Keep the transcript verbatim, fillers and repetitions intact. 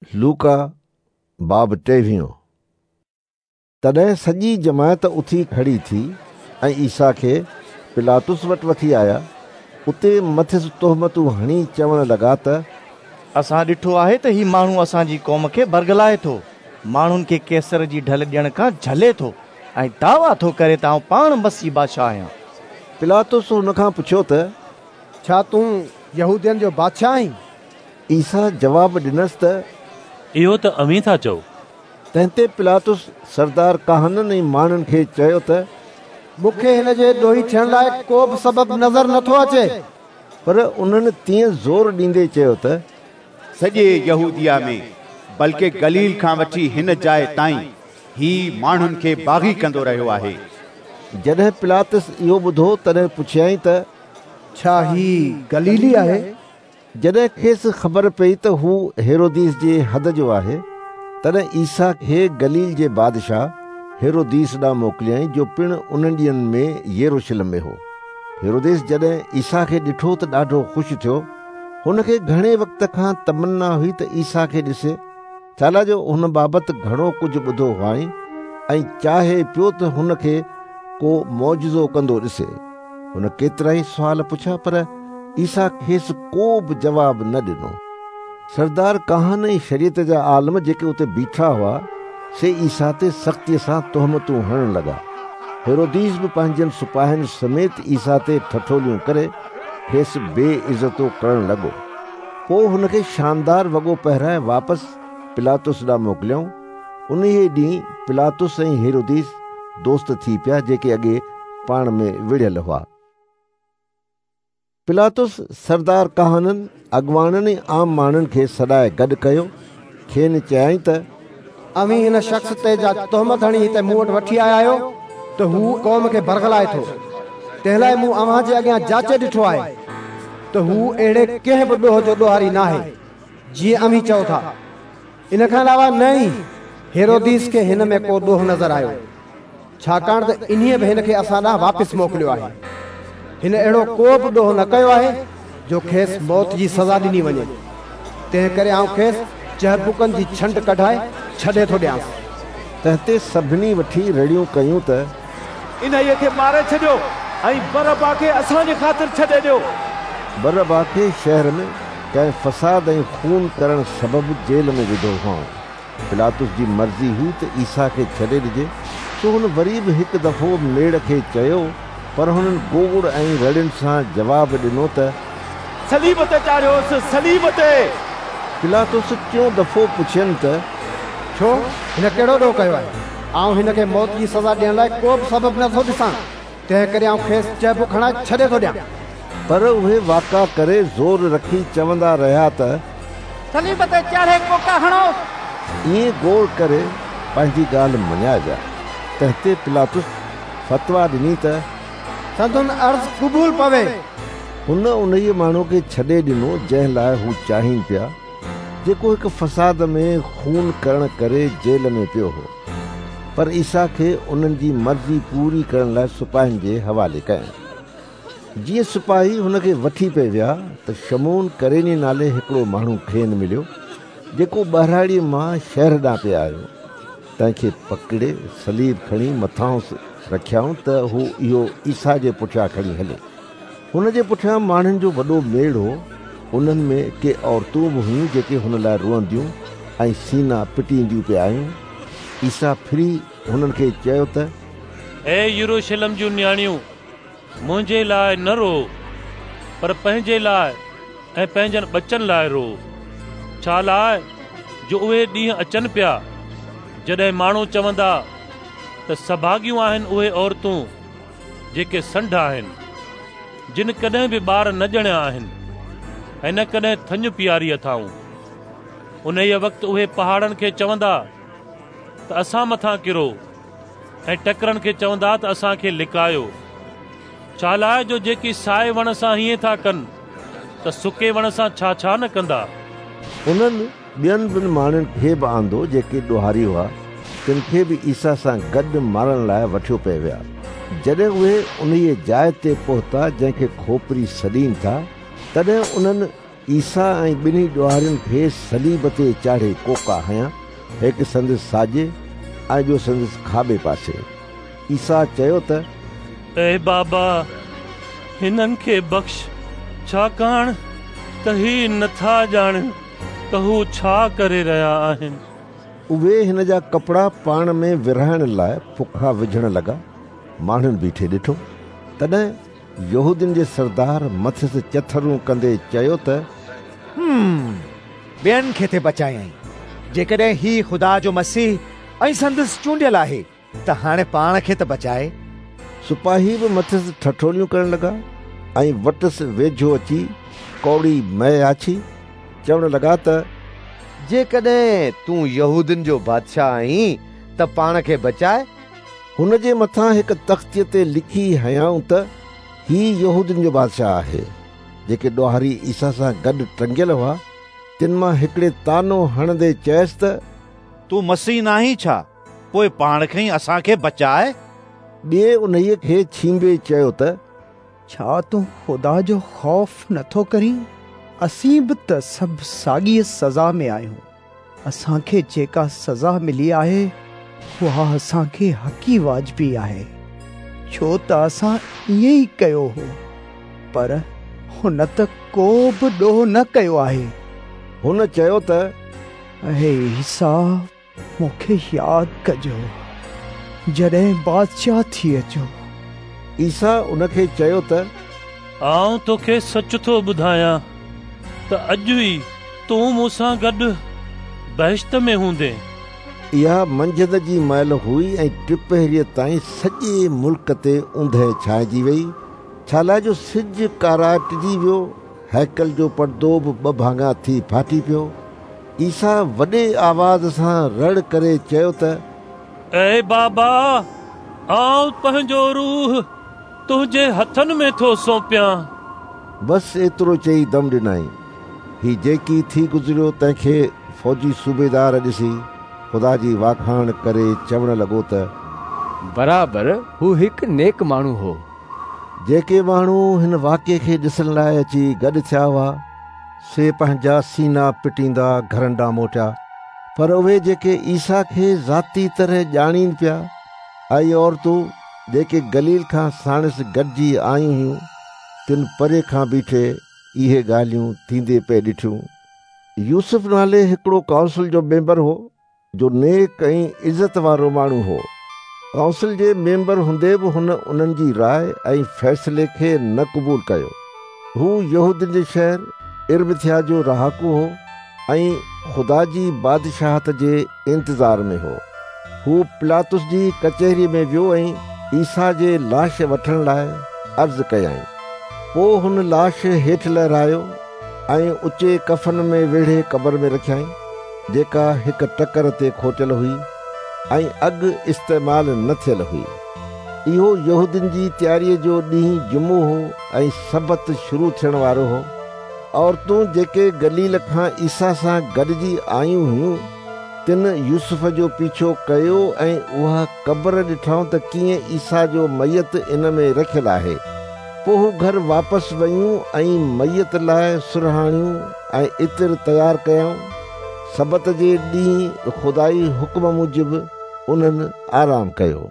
لوڪا باب ٽيويهون. تڏهن سڄي جماعت اٿي کڙي ٿي ۽ عيسيٰ کي پلاطس وٽ وٺي آيا. اتي مٿس تهمتون هڻي چوڻ لڳا ته اسان ڏٺو آهي ته هي ماڻهو اسان جي قوم کي برغلائي ٿو، ماڻهن کي قيصر جي ڍل ڏيڻ کان جهلي ٿو ۽ دعويٰ ٿو ڪري ته آئون پاڻ مسيح بادشاهه آهيان. پلاطس هن کان پڇيو ته ڇا تون يهودين جو بادشاهه آهين؟ عيسيٰ جواب ڏنس ته اهو ته اوهين ٿا چئو. تنهن تي پلاطس سردار ڪاهنن ۽ ماڻهن کي چيو ته مون کي هن جي ڏوهي ٿيڻ لاء ڪو به سبب نظر نٿو اچي. پر انهن تيئن زور ڏيندي چيو ته سڄي يهوديه ۾ بلڪه گليل کان وٺي هن جاءِ تائين هي ماڻهن کي باغي ڪندو رهيو آهي. جڏهن پلاطس اهو ٻڌو تڏهن پڇيائين ته ڇا هي گليلي آهي؟ جڏهن کيس خبر پئي ته هو هيروديس جي حد جو آهي، تڏهن عيسيٰ کي گليل جي بادشاهه هيروديس ڏانهن موڪليائين، جو پڻ انهن ڏينهن ۾ يروشلم ۾ هو. هيروديس جڏهن عيسيٰ کي ڏٺو ته ڏاڍو خوش ٿيو. هن کي گهڻي وقت کان تمنا هئي ته عيسيٰ کي ڏسي، ڇا لاءِ جو هن بابت گهڻو ڪجهه ٻڌو هئائين ۽ چاهي پيو ته هن کي ڪو معجزو ڪندو ڏسي. هن ڪيترائي سوال پڇيا، پر عيسيٰ کيس ڪو به جواب نه ڏنو. سردار ڪاهن ۽ شريعت جا عالم جيڪي اتي بيٺا هئا، سي عيسيٰ تي سختيءَ سان تهمتون هڻڻ لڳا. هيروديس به پنهنجن سپاهين سميت عيسيٰ تي ٺٺوليون ڪري کيس بي عزتو ڪرڻ لڳو. پوءِ هن کي شاندار وڳو پهرائي واپس پلاطس ڏانهن موڪليائون. انهيءَ ڏينهن پلاطس ۽ هيروديس دوست ٿي پيا، جيڪي اڳي پاڻ ۾ وڙهيل هئا. پلاطس سردار ڪاهنن، اڳواڻن ۽ عام ماڻهن کي سڏائي گڏ ڪيو. کين چيائين ته اوهين هن شخص تي جا تهمت هڻي هتي مون وٽ وٺي آيا آهيو ته هو قوم کي برغلائي ٿو، تنهن لاءِ مون اوهان جي اڳيان جاچي ڏٺو آهي ته هو اهڙي ڪنهن به ڏوهه جو ڏوهاري ناهي جيئن اوهين چئو ٿا. ان کان علاوه نه ئي هيروديس کي هن ۾ ڪو ڏوهه نظر آيو، ڇاڪاڻ ته انهيءَ به هن کي اسان ڏانهن واپس موڪليو آهي. هن اهڙو ڪو به ڏوهه نه ڪيو آهي جو کيس موت جي سزا ڏني وڃي، تنهن ڪري آئون کيس چهبڪن جي ڇنڊ ڪڍائي ڇڏي ٿو ڏيانس. تنهن تي سڀني وٺي رڙيون ڪيون ته انهيءَ کي ماري ڇڏيو ۽ برابا کي اسان جي خاطر ڇڏي ڏيو. برابا کي شهر ۾ ڪنهن فساد ۽ خون ڪرڻ سبب جيل ۾ وڌو هئائون. پلاطس جي مرضي هئي ته عيسيٰ کي ڇڏي ڏجي، سو هن وري به هڪ دفعو ميڙ کي چيو، پر هنن گوڙ ۽ رڙين سان جواب ڏنو ته صليب تي چاڙهيوس، صليب تي. پلاطس ٽيون دفعو پڇين ته ڇو، هن ڪهڙو ڏوهه ڪيو آهي؟ آئون هن کي موت جي سزا ڏيڻ لاءِ ڪو به سبب نٿو ڏسان، تنهن ڪري آئون کيس چهبڪ هڻائي ڇڏي ٿو ڏيان. پر اهي واڪا ڪري زور رکي چوندا رهيا ته صليب تي چاڙهي ڪوڪا هڻوس. ائين گوڙ ڪري پنهنجي ڳالهه مڃائي ويا. تنهن تي پلاطس فتويٰ ڏني ته سندن عرض قبول پوي. هن انهيءَ ماڻهوءَ کي ڇڏي ڏنو جنهن لاءِ هو چاهين پيا، جيڪو هڪ فساد ۾ خون ڪرڻ ڪري جيل ۾ پيو هو. پر عيسيٰ کي انهن جي مرضي پوري ڪرڻ لاءِ سپاهين جي حوالي ڪيائين. جيئن سپاهي هن کي وٺي پئي ويا ته شمعون ڪريني نالي هڪڙو ماڻهو کين مليو، جيڪو ٻهراڙيءَ مان شهر ڏانهن پئي آيو. تنهن کي پڪڙي صليب کڻي مٿانئس رکيائون ته هو اهو عيسيٰ جي پٺيان کڻي هلي. هن جي پٺيان ماڻهن جو وڏو ميڙ هو. انهن ۾ ڪي عورتون به هيون جيڪي هن لاءِ روئنديون ۽ سينا پٽينديون پئي آيون. عيسيٰ ڦري هنن کي چيو ته اي يروشلم جون نياڻيون، منهنجي لاءِ نه رو، پر پنهنجي لاءِ ۽ پنهنجن ٻچن لاءِ رو. ڇا لاءِ جو اهي ڏينهن اچن پيا جڏهن ماڻهو چوندا ته سڀاڳيون آهن اهي عورتون جيڪي سنڍ آهن، جن ڪڏهن به ٻار نه ڄڻيا آهن ۽ نه ڪڏهن ٿڃ پياري اٿائون. انهيءَ وقت اهي پهاڙن کي چوندا ته اسان مٿان ڪرو ۽ ٽڪرن کي چوندا ته اسان کي لڪايو. ڇا لاءِ جو جيڪي سائي وڻ سان هيئن ٿا ڪن ته سڪي وڻ سان ڇا ڇا نه ڪندا. انهن ٻين ٻن ماڻهن کي به آندو جيڪي ڏوهاري هئا، تن کي به عيسيٰ سان گڏ مارڻ لاءِ وٺيو پئي ويا. جڏهن اهي انهيءَ جاءِ تي پهتا جنهن کي کوپري سڏين ٿا، تڏهن انهن عيسيٰ ۽ ٻنهي ڏوهارين کي صليب تي چاڙهي ڪوڪا هنيا، هڪ سندس ساڄي ۽ ٻيو سندس کاٻي پاسي. عيسيٰ چيو ته اي بابا، هنن کي بخش، ڇاڪاڻ ته هي نٿا ڄاڻن ته هو ڇا ڪري رهيا آهن. اهي هن جا ڪپڙا پاڻ ۾ ورهائڻ لاءِ ڦڪا وجهڻ لڳا. ماڻهن بيٺي ڏٺو. تڏهن يهودين جي سردار مٿس چٿرون ڪندي چيو ته ٻين کي ٿي بچايائين، جيڪڏهن هي خدا جو مسيح ۽ سندس چونڊيل آهي ته هاڻي پاڻ کي ته بچائي. سپاهي به مٿس ٺٺوليون ڪرڻ لڳا ۽ وٽس ويجهو اچي ڪوڙي مئي آڇي چوڻ لڳا ته جيڪڏهن تون يهودين جو بادشاهه آهين ته پاڻ کي بچائي. هن جي مٿان هڪ تختيءَ تي لکي هنيائون ته هي يهودين جو بادشاهه آهي. جيڪي ڏوهاري عيسيٰ سان گڏ ٽنگيل هئا تن مان هڪڙي طعنو هڻندي چيس ته تون مسيح نه آهين ڇا؟ پوءِ پاڻ کي ئي اسان کي بچائي. ٻئي انهيءَ کي ڇينڀي چيو ته ڇا تون خدا جو خوف نٿو ڪرين؟ اسين به ته سڀ ساڳيءَ سزا ۾ آهيون. اسان کي جيڪا سزا ملي آهي اها اسان کي حقي واجبي آهي، ڇو ته اسان ائين ئي ڪيو هو، پر هن ته ڪو به ڏوهه نه ڪيو آهي. هن چيو ته اي عيسيٰ، مون کي ياد ڪجو جڏهن بادشاهه ٿي اچو. عيسيٰ ان کي چيو ته آئون توکي سچ ٿو ٻڌايان ته اڄ ئي تون مون سان گڏ بهشت ۾ هوندين. اها منجهند جي مهل هئي ۽ ٽپهريءَ تائين سڄي ملڪ تي اوندهه ڇانئجي وئي، ڇا لاءِ جو سج ڪاراٽجي ويو. هيڪل جو پردو به ٻه ڀاڱا ٿي ڦاٽي پيو. عيسيٰ وڏي آواز سان رڙ ڪري چيو ته اي بابا، آئون پنهنجو روح تنهنجي هٿن ۾ ٿو سونپيان. بس ايترو چئي دم ڏنائين. هي جيڪي ٿي گذريو تنهن کي فوجي صوبيدار ڏسي خدا جي واکاڻ ڪري چوڻ لڳو ته برابر هو هڪ نيڪ ماڻهو هو. جيڪي ماڻهو هن واقعي کي ڏسڻ لاءِ اچي گڏ ٿيا هئا سي پنهنجا سينا پٽيندا گهرن ڏانهن موٽيا. پر اهي جيڪي عيسيٰ کي ذاتي طرح ڄاڻين پيا ۽ عورتون جيڪي گليل کان ساڻس گڏجي آيون هيون تن پري کان بيٺي اهي ڳالهيون ٿيندي پئي ڏٺيون. يوسف نالي هڪڙو ڪائونسل جو ميمبر هو، جو نيڪ ۽ عزت وارو ماڻهو هو. ڪائونسل جي ميمبر هوندي به هن انهن جي راءِ ۽ فيصلي کي نه قبول ڪيو. هو يهودين جي شهر ارمٿيا جو رهاڪو هو ۽ خدا جي بادشاهت جي انتظار ۾ هو. هو پلاطس جي ڪچهريءَ ۾ ويو ۽ عيسيٰ جي لاش وٺڻ لاءِ عرض ڪيائين. پوءِ هن لاش هيٺ لهرايو ۽ اچي ڪفن ۾ ويڙهي قبر ۾ رکيائين، جيڪا هڪ ٽڪر تي کوٽيل هئي ۽ اڳ استعمال نه ٿيل هئي. اهو يهودين جي تياريءَ جو ڏينهن جمعو هو ۽ سبت شروع ٿيڻ وارو هو. عورتون جيڪي گليل کان عيسيٰ سان گڏجي آيون هيون تن يوسف جو پيڇو ڪيو ۽ اها قبر ڏٺائون ته ڪيئن عيسيٰ جو ميت ان ۾ رکيل آهي. پوءِ هو گهر واپس ويون ۽ ميت لاءِ سرهاڻيون ۽ عطر تيار ڪيائون. سبت جي ڏينهن خدائي حڪم موجب انهن آرام ڪيو.